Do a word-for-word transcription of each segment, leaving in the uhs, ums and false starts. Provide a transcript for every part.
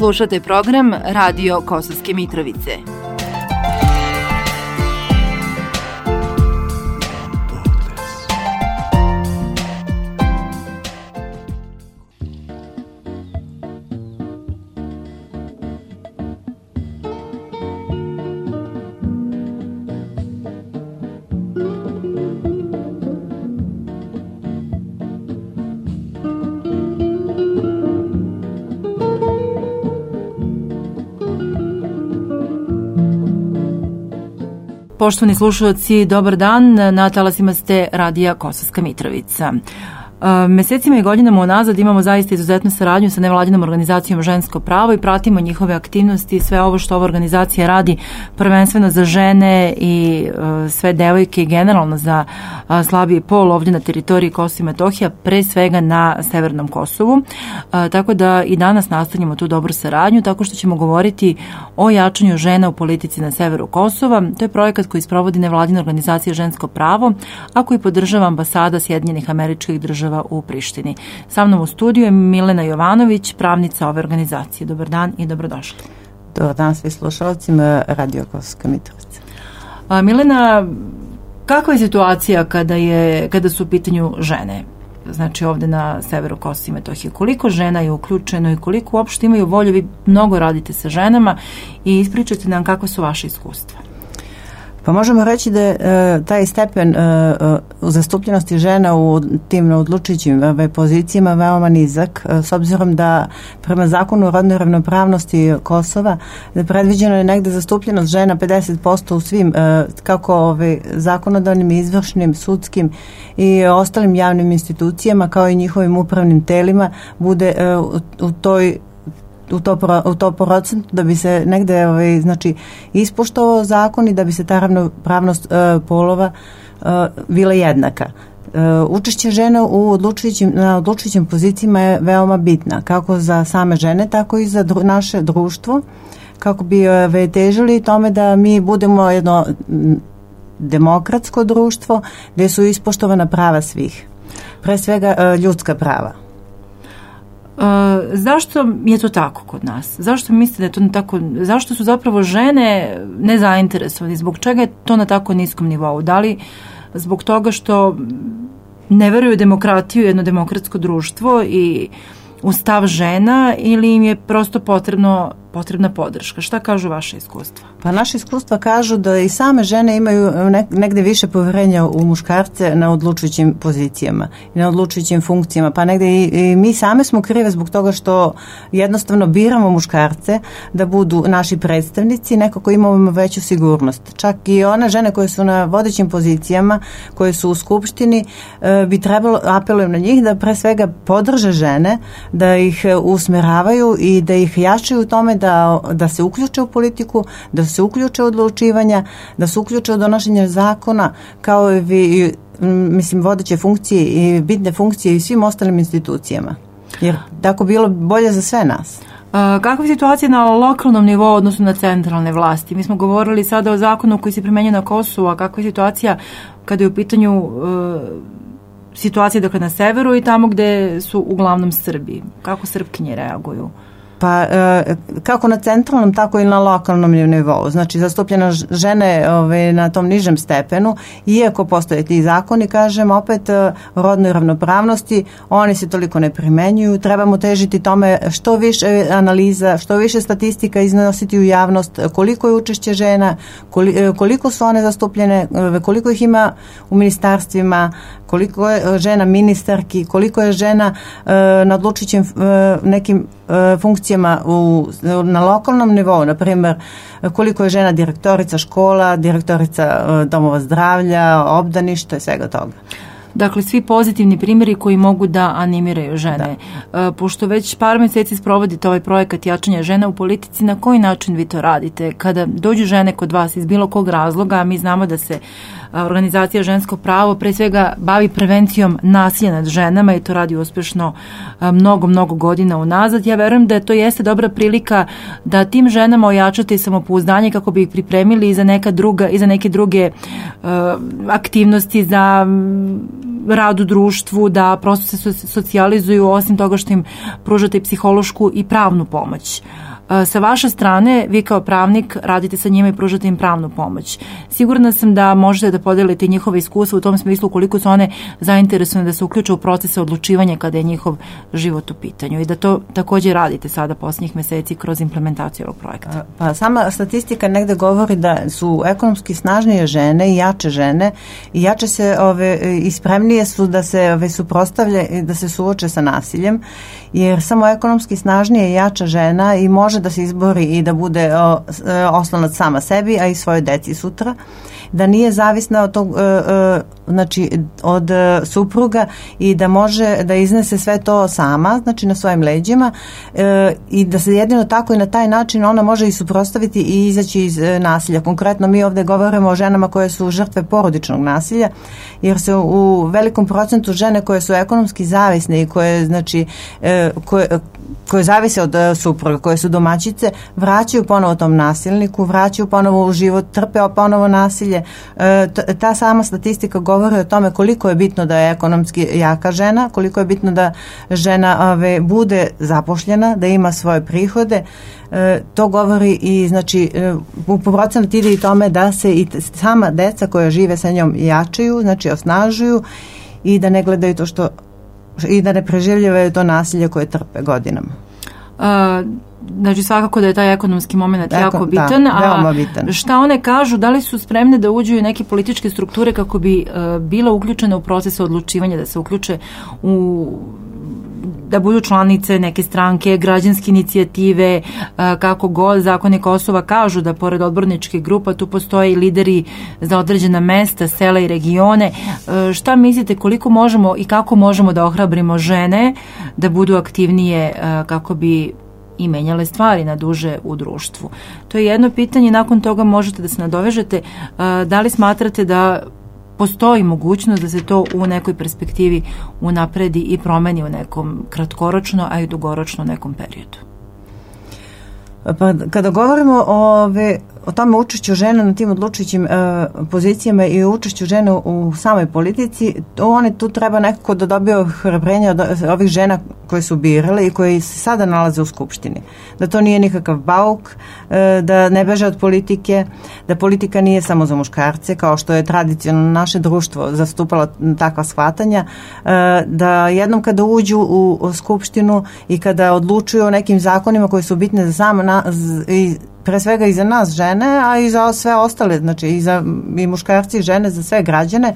Slušate program Radio Kosovske Mitrovice. Poštovani slušalci, dobar dan, na talasima ste Radija Kosovska Mitrovica. Mesecima i godinama unazad imamo zaista izuzetnu saradnju sa nevladinom organizacijom Žensko pravo i pratimo njihove aktivnosti i sve ovo što ova organizacija radi prvenstveno za žene i sve devojke i generalno za slabiji pol ovdje na teritoriji Kosova i Metohija, pre svega na Severnom Kosovu. Tako da i danas nastavljamo tu dobru saradnju tako što ćemo govoriti o jačanju žena u politici na severu Kosova. To je projekat koji sprovodi nevladina organizacija Žensko pravo, a koji podržava ambasada Sjedinjenih Američkih Država u Prištini. Sa mnom u studiju je Milena Jovanović, pravnica ove organizacije. Dobar dan i dobrodošli. Dobar dan svi slušalcima Radio Kosovska Mitrovica. A, Milena, kakva je situacija kada, je, kada su u pitanju žene? Znači ovde na severu Kosova i Metohije. Koliko žena je uključeno i koliko uopšte imaju volju? Vi mnogo radite sa ženama i ispričajte nam kakva su vaše iskustva. Pa možemo reći da je e, taj stepen e, u zastupljenosti žena u tim odlučujućim e, pozicijama veoma nizak, e, s obzirom da prema zakonu o rodnoj ravnopravnosti Kosova da predviđeno je negde zastupljenost žena pedeset posto u svim e, kako ove, zakonodavnim, izvršnim, sudskim i ostalim javnim institucijama kao i njihovim upravnim telima bude e, u, u toj u to, u to procentu da bi se negde ovaj, znači, ispoštovao zakon i da bi se ta ravnopravnost e, polova e, bila jednaka. E, učešće žena u odlučujućim, na odlučujućim pozicijama je veoma bitna, kako za same žene, tako i za dru, naše društvo, kako bi e, težili tome da mi budemo jedno demokratsko društvo gde su ispoštovana prava svih. Pre svega e, ljudska prava. Uh, zašto je to tako kod nas? Zašto mislite da je to na tako, zašto su zapravo žene nezainteresovane? Zbog čega je to na tako niskom nivou? Da li zbog toga što ne veruju demokratiju, jedno demokratsko društvo i u stav žena ili im je prosto potrebno, potrebna podrška? Šta kažu vaše iskustva? Pa naše iskustva kažu da i same žene imaju negde više poverenja u muškarce na odlučujućim pozicijama i na odlučujućim funkcijama. Pa negde i, i mi same smo krive zbog toga što jednostavno biramo muškarce da budu naši predstavnici, nekako imamo veću sigurnost. Čak i one žene koje su na vodećim pozicijama, koje su u skupštini, bi trebalo, apelujem na njih da pre svega podrže žene, da ih usmeravaju i da ih jačaju u tome da, da se uključe u politiku, da se uključe u odlučivanja, da se uključe u donošenje zakona, kao i mislim, vodeće funkcije i bitne funkcije i svim ostalim institucijama. Jer tako bilo bolje za sve nas. A, kakva je situacija na lokalnom nivou odnosno na centralne vlasti? Mi smo govorili sada o zakonu koji se primenjuje na Kosovu, a kakva je situacija kada je u pitanju uh, situacija dakle na severu i tamo gde su uglavnom Srbi? Kako Srpkinje reaguju? Pa e, kako na centralnom, tako i na lokalnom nivou. Znači, zastupljena žene ove, na tom nižem stepenu, iako postoje ti zakoni, kažem, opet e, rodnoj ravnopravnosti, oni se toliko ne primenjuju. Trebamo težiti tome što više analiza, što više statistika iznositi u javnost, koliko je učešće žena, koliko su one zastupljene, koliko ih ima u ministarstvima, koliko je žena ministarki, koliko je žena e, na odlučujućim e, nekim e, funkcijama u, na lokalnom nivou, na primjer koliko je žena direktorica škola, direktorica e, domova zdravlja, obdaništa i svega toga. Dakle, svi pozitivni primjeri koji mogu da animiraju žene. Da. Pošto već par meseci sprovodite ovaj projekat jačanja žena u politici, na koji način vi to radite? Kada dođu žene kod vas iz bilo kog razloga, a mi znamo da se organizacija Žensko pravo pre svega bavi prevencijom nasilja nad ženama i to radi uspešno mnogo, mnogo godina unazad. Ja verujem da to jeste dobra prilika da tim ženama ojačate samopouzdanje kako bi ih pripremili i za neka druga, i za neke druge uh, aktivnosti, za rad u društvu, da prosto se socijalizuju, osim toga što im pružate psihološku i pravnu pomoć. Sa vaše strane, vi kao pravnik radite sa njima i pružate im pravnu pomoć. Sigurna sam da možete da podelite njihove iskustva u tom smislu koliko su one zainteresovane da se uključe u procese odlučivanja kada je njihov život u pitanju i da to takođe radite sada posljednjih meseci kroz implementaciju ovog projekta. Pa sama statistika negde govori da su ekonomski snažnije žene i jače žene i jače se ove, i spremnije su da se ove, suprotstavlje i da se suoče sa nasiljem, jer samo ekonomski snažnije i jača žena i može da se izbori i da bude o, oslonac sama sebi, a i svojoj deci sutra, da nije zavisna od tog, znači od supruga i da može da iznese sve to sama, znači na svojim leđima i da se jedino tako i na taj način ona može i suprotstaviti i izaći iz nasilja. Konkretno mi ovde govorimo o ženama koje su žrtve porodičnog nasilja, jer se u velikom procentu žene koje su ekonomski zavisne i koje, znači, koje, koje zavise od supruga, koje su domaćice, vraćaju ponovo tom nasilniku, vraćaju ponovo u život, trpe ponovo nasilje. Ta sama statistika govori o tome koliko je bitno da je ekonomski jaka žena, koliko je bitno da žena ove, bude zapošljena, da ima svoje prihode. E, to govori i znači u procenat ide i tome da se i sama deca koja žive sa njom jačaju, znači osnažuju i da ne gledaju to što i da ne preživljavaju to nasilje koje trpe godinama. Uh, znači svakako da je taj ekonomski moment Eko, jako bitan, da, veoma bitan. A šta one kažu, da li su spremne da uđu i neke političke strukture kako bi uh, bila uključena u proces odlučivanja, da se uključe u da budu članice neke stranke, građanske inicijative, kako god zakoni Kosova kažu da pored odborničkih grupa tu postoje i lideri za određena mesta, sela i regione. Šta mislite koliko možemo i kako možemo da ohrabrimo žene da budu aktivnije kako bi i menjale stvari na duže u društvu? To je jedno pitanje, nakon toga možete da se nadovežete. Da li smatrate da postoji mogućnost da se to u nekoj perspektivi unapredi i promeni u nekom kratkoročno, a i dugoročno nekom periodu? Pa kada govorimo o, ove, o tome učešću žena na tim odlučujućim e, pozicijama i učešću žena u samoj politici, one tu treba nekako da dobiju ohrabrenje od ovih žena koje su birale i koje se sada nalaze u Skupštini. Da to nije nikakav bauk, e, da ne beže od politike, da politika nije samo za muškarce, kao što je tradicionalno naše društvo zastupalo takva shvatanja, e, da jednom kada uđu u, u Skupštinu i kada odlučuju o nekim zakonima koji su bitne za samo na, i pre svega i za nas žene, a i za sve ostale, znači i za i muškarci i žene, za sve građane.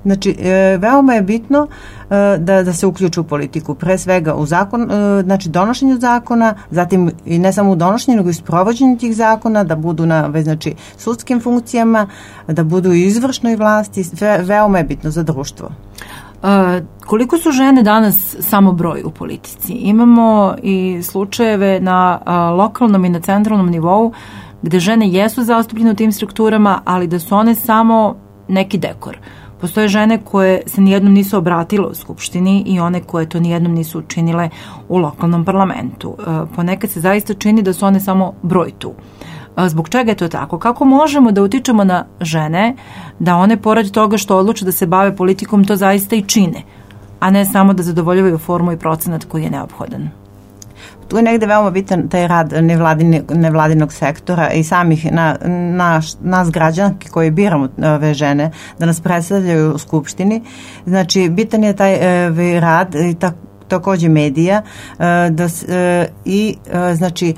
Znači, e, veoma je bitno e, da, da se uključu u politiku, pre svega u zakon, e, znači donošenju zakona, zatim i ne samo u donošenju, nego i sprovođenju tih zakona, da budu na znači, sudskim funkcijama, da budu u izvršnoj vlasti, ve, veoma je bitno za društvo. Uh, koliko su žene danas samo broj u politici? Imamo i slučajeve na uh, lokalnom i na centralnom nivou gde žene jesu zastupljene u tim strukturama, ali da su one samo neki dekor. Postoje žene koje se nijednom nisu obratile u Skupštini i one koje to nijednom nisu učinile u lokalnom parlamentu. Uh, ponekad se zaista čini da su one samo broj tu. Zbog čega je to tako? Kako možemo da utičemo na žene da one pored toga što odluče da se bave politikom to zaista i čine, a ne samo da zadovoljavaju formu i procenat koji je neophodan? Tu je negde veoma bitan taj rad nevladine, nevladinog sektora i samih na, naš, nas građanki koji biramo ove žene da nas predstavljaju u Skupštini. Znači, bitan je taj ove, rad i tak, takođe medija da, i znači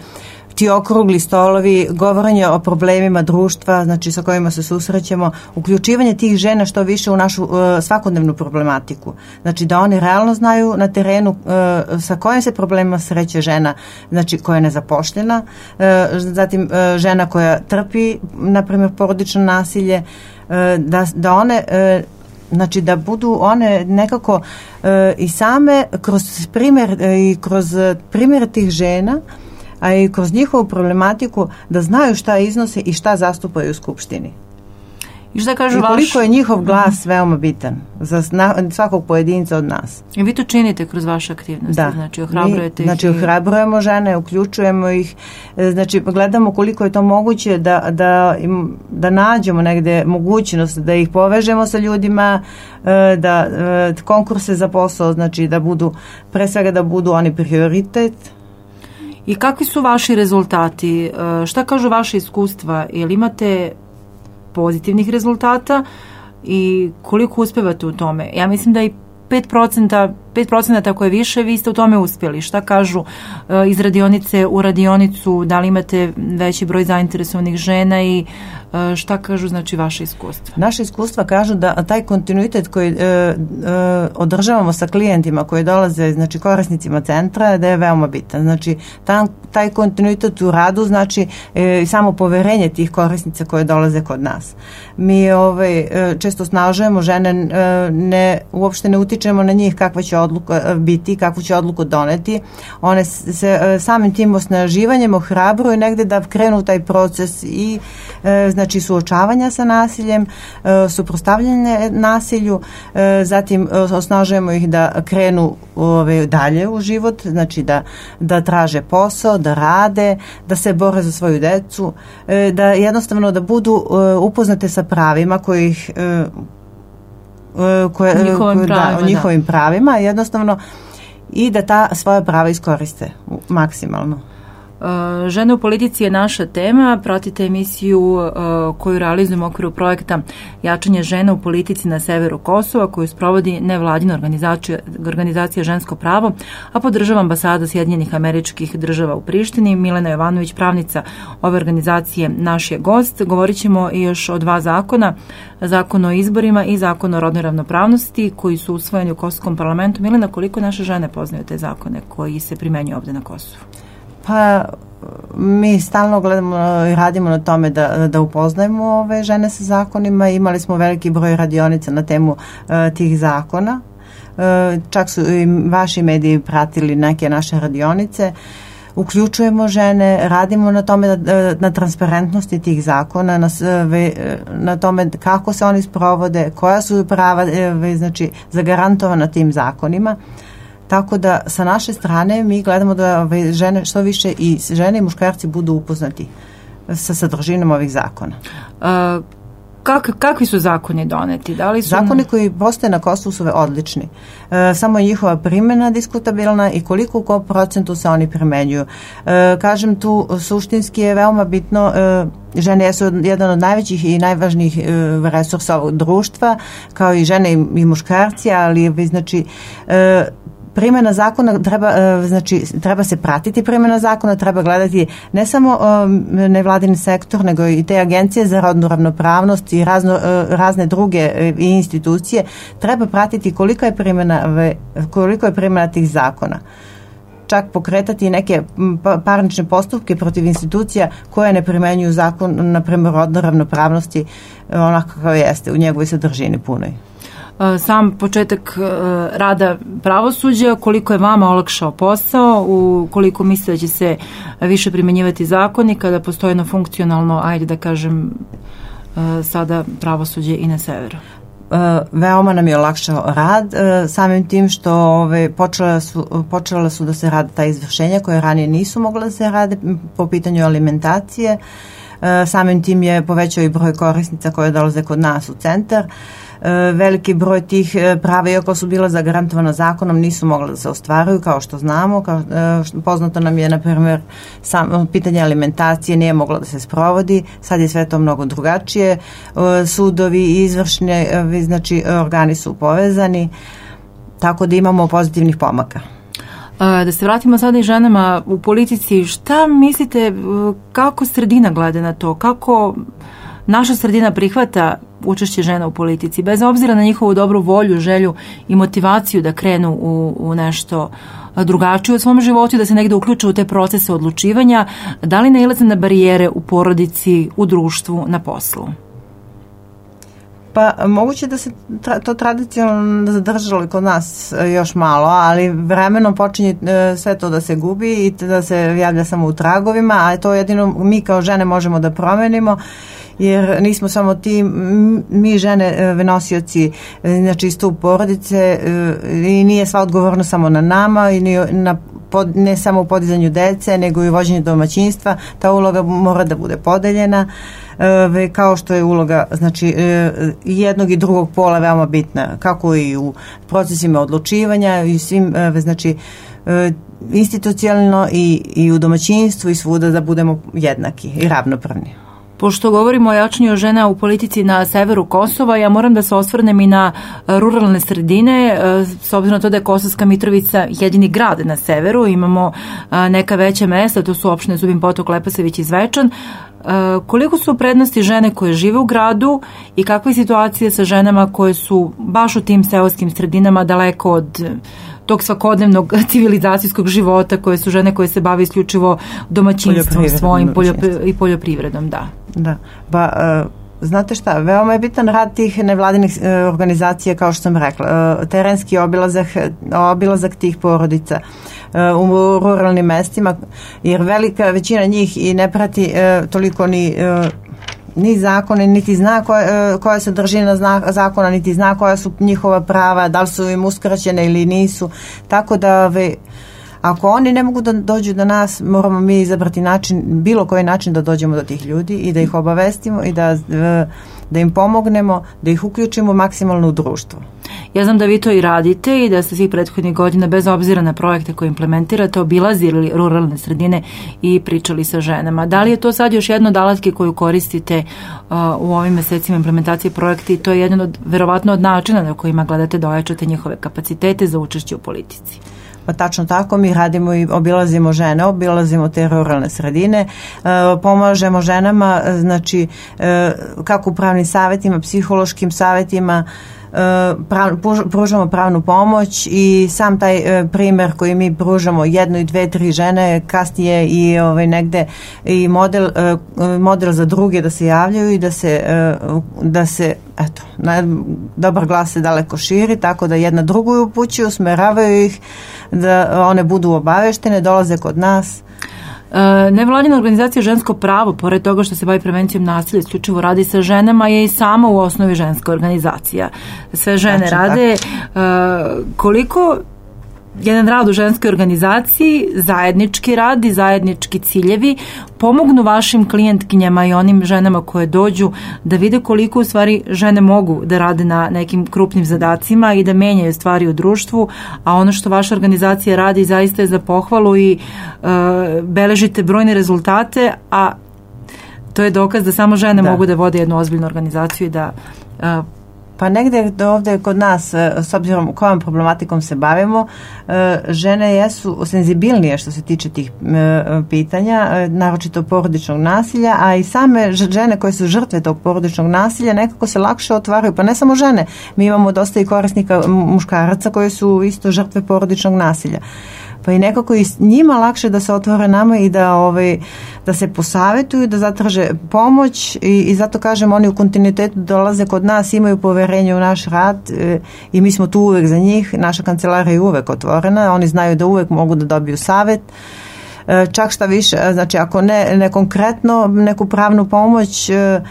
ti okrugli stolovi, govorenje o problemima društva, znači sa kojima se susrećemo, uključivanje tih žena što više u našu uh, svakodnevnu problematiku. Znači da oni realno znaju na terenu uh, sa kojim se problemima sreće žena, znači koja je nezapošljena, uh, zatim uh, žena koja trpi, na primjer, porodično nasilje, uh, da, da one uh, znači da budu one nekako uh, i same kroz primjer uh, i kroz primjer tih žena, a i kroz njihovu problematiku da znaju šta iznose i šta zastupaju u Skupštini. I šta kažu vaš... koliko je njihov glas veoma bitan za svakog pojedinca od nas. I vi to činite kroz vaše aktivnosti, da. Znači ohrabrujete ih. Znači ohrabrujemo žene, uključujemo ih, znači gledamo koliko je to moguće da, da, im, da nađemo negde mogućnost da ih povežemo sa ljudima, da konkurse za posao, znači da budu, pre svega da budu oni prioritet. I kakvi su vaši rezultati? Šta kažu vaše iskustva? Jel imate pozitivnih rezultata i koliko uspevate u tome? Ja mislim da i pet procenta, pet procenta ako je više, vi ste u tome uspjeli. Šta kažu iz radionice u radionicu, da li imate veći broj zainteresovanih žena i šta kažu znači vaše iskustva? Naše iskustva kažu da taj kontinuitet koji e, e, održavamo sa klijentima koji dolaze, znači korisnicima centra, da je veoma bitan. Znači tam, taj kontinuitet u radu znači e, samo poverenje tih korisnica koje dolaze kod nas. Mi ovaj, često snažujemo žene, e, ne, uopšte ne utičemo na njih kakva će odluka biti, kakvu će odluku doneti. One se e, samim tim osnaživanjem ohrabruju negde da krenu taj proces i e, znači znači suočavanja sa nasiljem, suprotstavljanje nasilju, zatim osnažujemo ih da krenu ove, dalje u život, znači da, da traže posao, da rade, da se bore za svoju decu, da jednostavno da budu upoznate sa pravima kojih koje, njihovim koje, pravima, da, o njihovim da. pravima, jednostavno i da ta svoja prava iskoriste maksimalno. Žene u politici je naša tema. Pratite emisiju uh, koju realizujemo u okviru projekta Jačanje žena u politici na severu Kosova, koju sprovodi nevladina organizacija, organizacija Žensko pravo, a podržava ambasada Sjedinjenih Američkih Država u Prištini. Milena Jovanović, pravnica ove organizacije, naš je gost. Govorit ćemo i još o dva zakona, zakon o izborima i zakon o rodnoj ravnopravnosti, koji su usvojeni u Kosovskom parlamentu. Milena, koliko naše žene poznaju te zakone koji se primenjuju ovde na Kosovu? Pa mi stalno gledamo i radimo na tome da, da upoznajemo ove žene sa zakonima. Imali smo veliki broj radionica na temu uh, tih zakona. Uh, čak su i vaši mediji pratili neke naše radionice. Uključujemo žene, radimo na tome, da, na transparentnosti tih zakona, na, na tome kako se oni sprovode, koja su prava znači, zagarantovana tim zakonima. Tako da sa naše strane mi gledamo da žene što više i žene i muškarci budu upoznati sa sadržinom ovih zakona. A, kak, kakvi su zakoni doneti? Da li su... Zakoni koji postoje na Kosovu su odlični. E, samo je njihova primjena diskutabilna i koliko u kom procentu se oni primenjuju. E, kažem tu, suštinski je veoma bitno, e, žene su jedan od najvećih i najvažnijih e, resursa ovog društva, kao i žene i, i muškarci, ali znači e, primjena zakona treba, znači, treba se pratiti primjena zakona, treba gledati ne samo nevladini sektor, nego i te agencije za rodnu ravnopravnost i razno, razne druge institucije. Treba pratiti koliko je primjena, koliko je primjena tih zakona. Čak pokretati neke parnične postupke protiv institucija koje ne primenjuju zakon, na primjer rodne ravnopravnosti, onako kako jeste u njegovoj sadržini punoj. Sam početak rada pravosuđa, koliko je vama olakšao posao, u koliko mislite da će se više primenjivati zakoni kada postoje jedno funkcionalno, ajde da kažem, sada pravosuđe i na severu? Veoma nam je olakšao rad, samim tim što ove, počela, su, počela su da se rade ta izvršenja koje ranije nisu mogla da se rade po pitanju alimentacije. Samim tim je povećao i broj korisnica koje dolaze kod nas u centar. Veliki broj tih prava, iako su bila zagarantovana zakonom, nisu mogla da se ostvaruju, kao što znamo. Kao, poznato nam je, na primjer, sam, pitanje alimentacije nije moglo da se sprovodi. Sad je sve to mnogo drugačije. Sudovi i izvršni, znači, organi su povezani, tako da imamo pozitivnih pomaka. Da se vratimo sada i ženama u politici, šta mislite, kako sredina gleda na to, kako naša sredina prihvata učešće žena u politici, bez obzira na njihovu dobru volju, želju i motivaciju da krenu u, u nešto drugačije u svom životu i da se negde uključe u te procese odlučivanja, da li nailaze na barijere u porodici, u društvu, na poslu? Pa moguće da se tra, to tradicionalno zadržalo kod nas još malo, ali vremenom počinje sve to da se gubi i da se javlja samo u tragovima, a to jedino mi kao žene možemo da promenimo, jer nismo samo ti, mi žene nosioci, znači stup porodice, i nije sva odgovornost samo na nama i na pod, ne samo u podizanju dece, nego i u vođenju domaćinstva. Ta uloga mora da bude podeljena, e, kao što je uloga znači e, jednog i drugog pola veoma bitna, kako i u procesima odlučivanja i svim, e, znači e, institucionalno i, i u domaćinstvu i svuda da budemo jednaki i ravnopravni. Pošto govorimo o jačanju žena u politici na severu Kosova, ja moram da se osvrnem i na ruralne sredine, s obzirom na to da je Kosovska Mitrovica jedini grad na severu, imamo neka veća mesta, to su opštine Zubin Potok, Leposavić i Zvečan. Koliko su prednosti žene koje žive u gradu i kakva je situacija sa ženama koje su baš u tim seoskim sredinama daleko od tog svakodnevnog civilizacijskog života, koje su žene koje se bave isključivo domaćinstvom svojim poljopri- i poljoprivredom, da. Da, pa uh, znate šta, veoma je bitan rad tih nevladinih uh, organizacija, kao što sam rekla, uh, terenski obilazak, obilazak tih porodica uh, u ruralnim mestima, jer velika većina njih i ne prati uh, toliko ni uh, ni zakone, niti zna koja, koja se držina zakona, niti zna koja su njihova prava, da li su im uskraćene ili nisu. Tako da ve, ako oni ne mogu da dođu do nas, moramo mi izabrati način, bilo koji način da dođemo do tih ljudi i da ih obavestimo i da, da im pomognemo, da ih uključimo maksimalno u društvo. Ja znam da vi to i radite i da ste svih prethodnih godina, bez obzira na projekte koje implementirate, obilazili ruralne sredine i pričali sa ženama. Da li je to sad još jedna od alatke koju koristite uh, u ovim mesecima implementacije projekta i to je jedan od, verovatno od načina na kojima gledate da ojačate njihove kapacitete za učešće u politici? Pa tačno tako, mi radimo i obilazimo žene, obilazimo te ruralne sredine, e, pomažemo ženama, znači e, kako u pravnim savjetima, psihološkim savjetima, Prav, pružamo pravnu pomoć i sam taj e, primer koji mi pružamo jedno i dve, tri žene kasnije i ovaj, negde i model, e, model za druge da se javljaju i da se, e, da se eto, na, dobar glas se daleko širi, tako da jedna drugu upućuju, usmeravaju ih da one budu obaveštene, dolaze kod nas. Nevladina organizacija Žensko pravo, pored toga što se bavi prevencijom nasilja, isključivo radi sa ženama, je i sama u osnovi ženska organizacija. Sve žene znači, rade. Tako. Koliko jedan rad u ženskoj organizaciji, zajednički rad i zajednički ciljevi pomognu vašim klijentkinjama i onim ženama koje dođu da vide koliko u stvari žene mogu da rade na nekim krupnim zadacima i da menjaju stvari u društvu, a ono što vaša organizacija radi zaista je za pohvalu i uh, beležite brojne rezultate, a to je dokaz da samo žene da. mogu da vode jednu ozbiljnu organizaciju i da uh, Pa negde ovde kod nas, s obzirom kojom problematikom se bavimo, žene jesu senzibilnije što se tiče tih pitanja, naročito porodičnog nasilja, a i same žene koje su žrtve tog porodičnog nasilja nekako se lakše otvaraju, pa ne samo žene, mi imamo dosta i korisnika muškaraca koji su isto žrtve porodičnog nasilja. Pa i nekako i njima lakše da se otvore nama i da ovaj da se posavetuju, da zatraže pomoć i, i zato kažem, oni u kontinuitetu dolaze kod nas, imaju poverenje u naš rad e, i mi smo tu uvek za njih, naša kancelarija je uvek otvorena, oni znaju da uvek mogu da dobiju savet. E, čak šta više, znači ako ne, ne konkretno neku pravnu pomoć, e,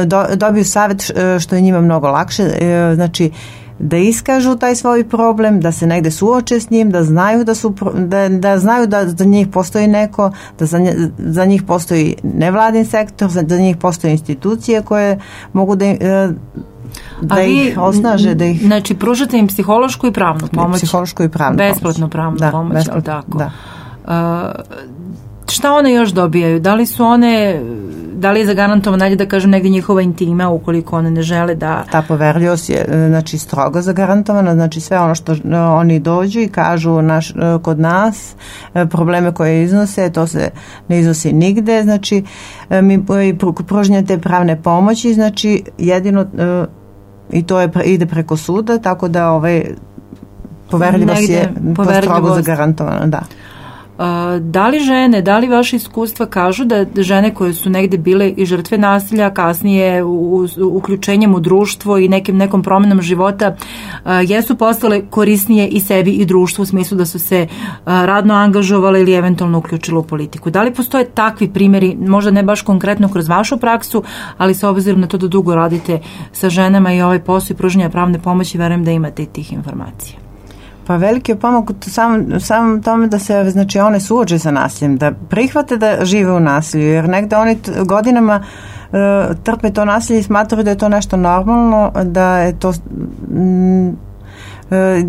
do, dobiju savet što je njima mnogo lakše, e, znači da iskažu taj svoj problem, da se negde suoče s njim, da znaju da su da, da znaju da za njih postoji neko, da za, nje, za njih postoji nevladin sektor, za, za njih postoje institucije koje mogu da da vi, ih osnaže, da ih znači pružate im psihološku i pravnu pomoć. Psihološku i pravnu besplatnu pravnu da, pomoć, besplatno, tako. Da. Uh, šta one još dobijaju? Da li su one, da li je zagarantovana, da kažem, negdje njihova intima ukoliko one ne žele da... Ta poverljivost je znači strogo zagarantovana, znači sve ono što oni dođu i kažu naš, kod nas, probleme koje iznose, to se ne iznosi nigde, znači mi pružnje te pravne pomoći, znači jedino i to je, ide preko suda, tako da ovaj poverljivost negde, je strogo zagarantovana, da. Da li žene, da li vaše iskustva kažu da žene koje su negde bile i žrtve nasilja, kasnije u, uključenjem u društvo i nekim, nekom promjenom života, jesu postale korisnije i sebi i društvu u smislu da su se radno angažovale ili eventualno uključile u politiku? Da li postoje takvi primjeri, možda ne baš konkretno kroz vašu praksu, ali s obzirom na to da dugo radite sa ženama i ovaj posao i pružanja pravne pomoći, verujem da imate i tih informacija? Pa veliki je pomak sam, sam tome da se, znači, one suoče sa nasiljem, da prihvate da žive u nasilju, jer negde oni t- godinama uh, trpe to nasilje i smatraju da je to nešto normalno, da je to mm,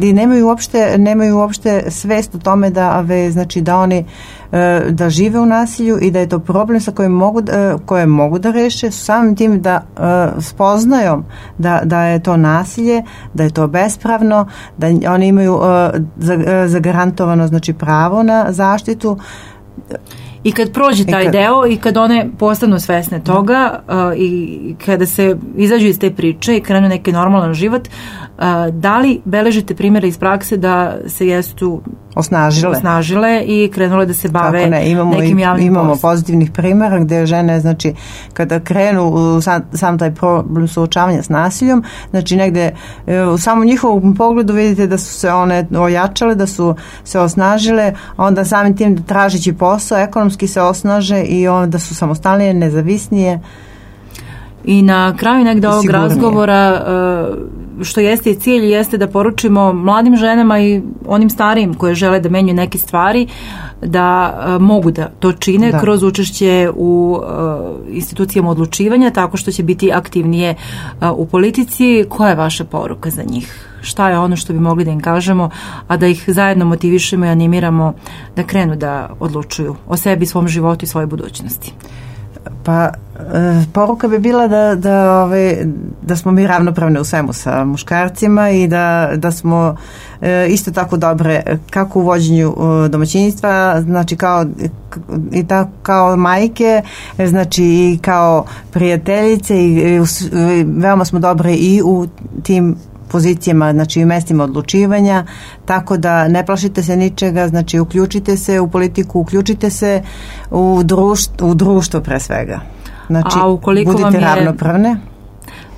i nemaju uopšte, nemaju uopšte svest o tome da, ave, znači, da oni da žive u nasilju i da je to problem sa kojim mogu, koje mogu da reše samim tim da spoznaju da, da je to nasilje, da je to bespravno, da oni imaju zagarantovano, znači, pravo na zaštitu. I kad prođe taj I kad, deo i kad one postanu svesne toga uh, i kada se izađu iz te priče i krenu neki normalan život, uh, da li beležite primjere iz prakse da se jesu osnažile, osnažile i krenule da se bave ne, imamo nekim javnim imamo poslom. Pozitivnih primjera gde žene, znači, kada krenu u sam, sam taj problem suočavanja s nasiljom, znači negde u samom njihovom pogledu vidite da su se one ojačale, da su se osnažile, a onda samim tim tražeći posao ekonomski se osnaže i onda su samostalnije, nezavisnije. I na kraju negde ovog razgovora, što jeste i cilj, jeste da poručimo mladim ženama i onim starijim koje žele da menjaju neke stvari, da mogu da to čine da. kroz učešće u institucijama odlučivanja, tako što će biti aktivnije u politici. Koja je vaša poruka za njih? Šta je ono što bi mogli da im kažemo, a da ih zajedno motivišemo i animiramo da krenu da odlučuju o sebi, svom životu i svojoj budućnosti? Pa e, poruka bi bila da, da, ove, da smo mi ravnopravne u svemu sa muškarcima i da, da smo e, isto tako dobre kako u vođenju e, domaćinstva, znači kao i tako kao majke, znači i kao prijateljice i, i, i veoma smo dobre i u tim pozicijama, znači i mestima odlučivanja, tako da ne plašite se ničega, znači uključite se u politiku, uključite se u društvo, u društvo pre svega. Znači, a ukoliko budite vam je, ravnopravne.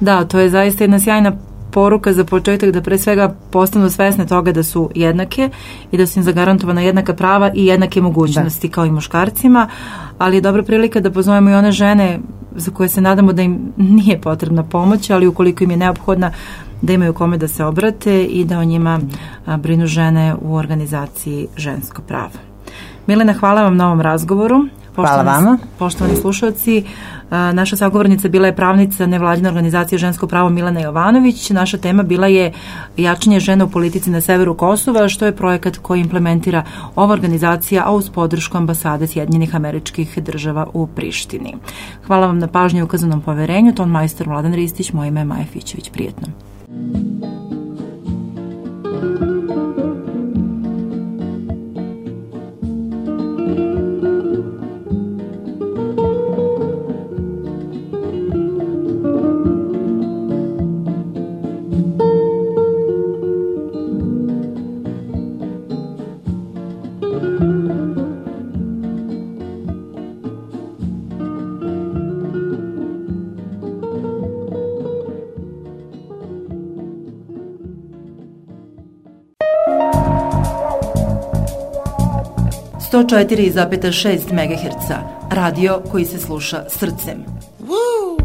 Da, to je zaista jedna sjajna poruka za početak, da pre svega postanu svesne toga da su jednake i da su im zagarantovana jednaka prava i jednake mogućnosti da. kao i muškarcima, ali je dobra prilika da pozovemo i one žene za koje se nadamo da im nije potrebna pomoć, ali ukoliko im je neophodna, da imaju kome da se obrate i da o njima a, brinu žene u organizaciji Žensko pravo. Milena, hvala vam na ovom razgovoru. Hvala vama. Poštovani slušalci, naša sagovornica bila je pravnica nevladine organizacije Žensko pravo Milena Jovanović. Naša tema bila je jačanje žena u politici na severu Kosova, što je projekat koji implementira ova organizacija, a uz podršku ambasade Sjedinjenih Američkih Država u Prištini. Hvala vam na pažnji i ukazanom poverenju. Ton majstor Vladan Ristić, moje ime je Maja Fićević. Prijetno. sto četiri zarez šest megaherca, radio koji se sluša srcem. Woo!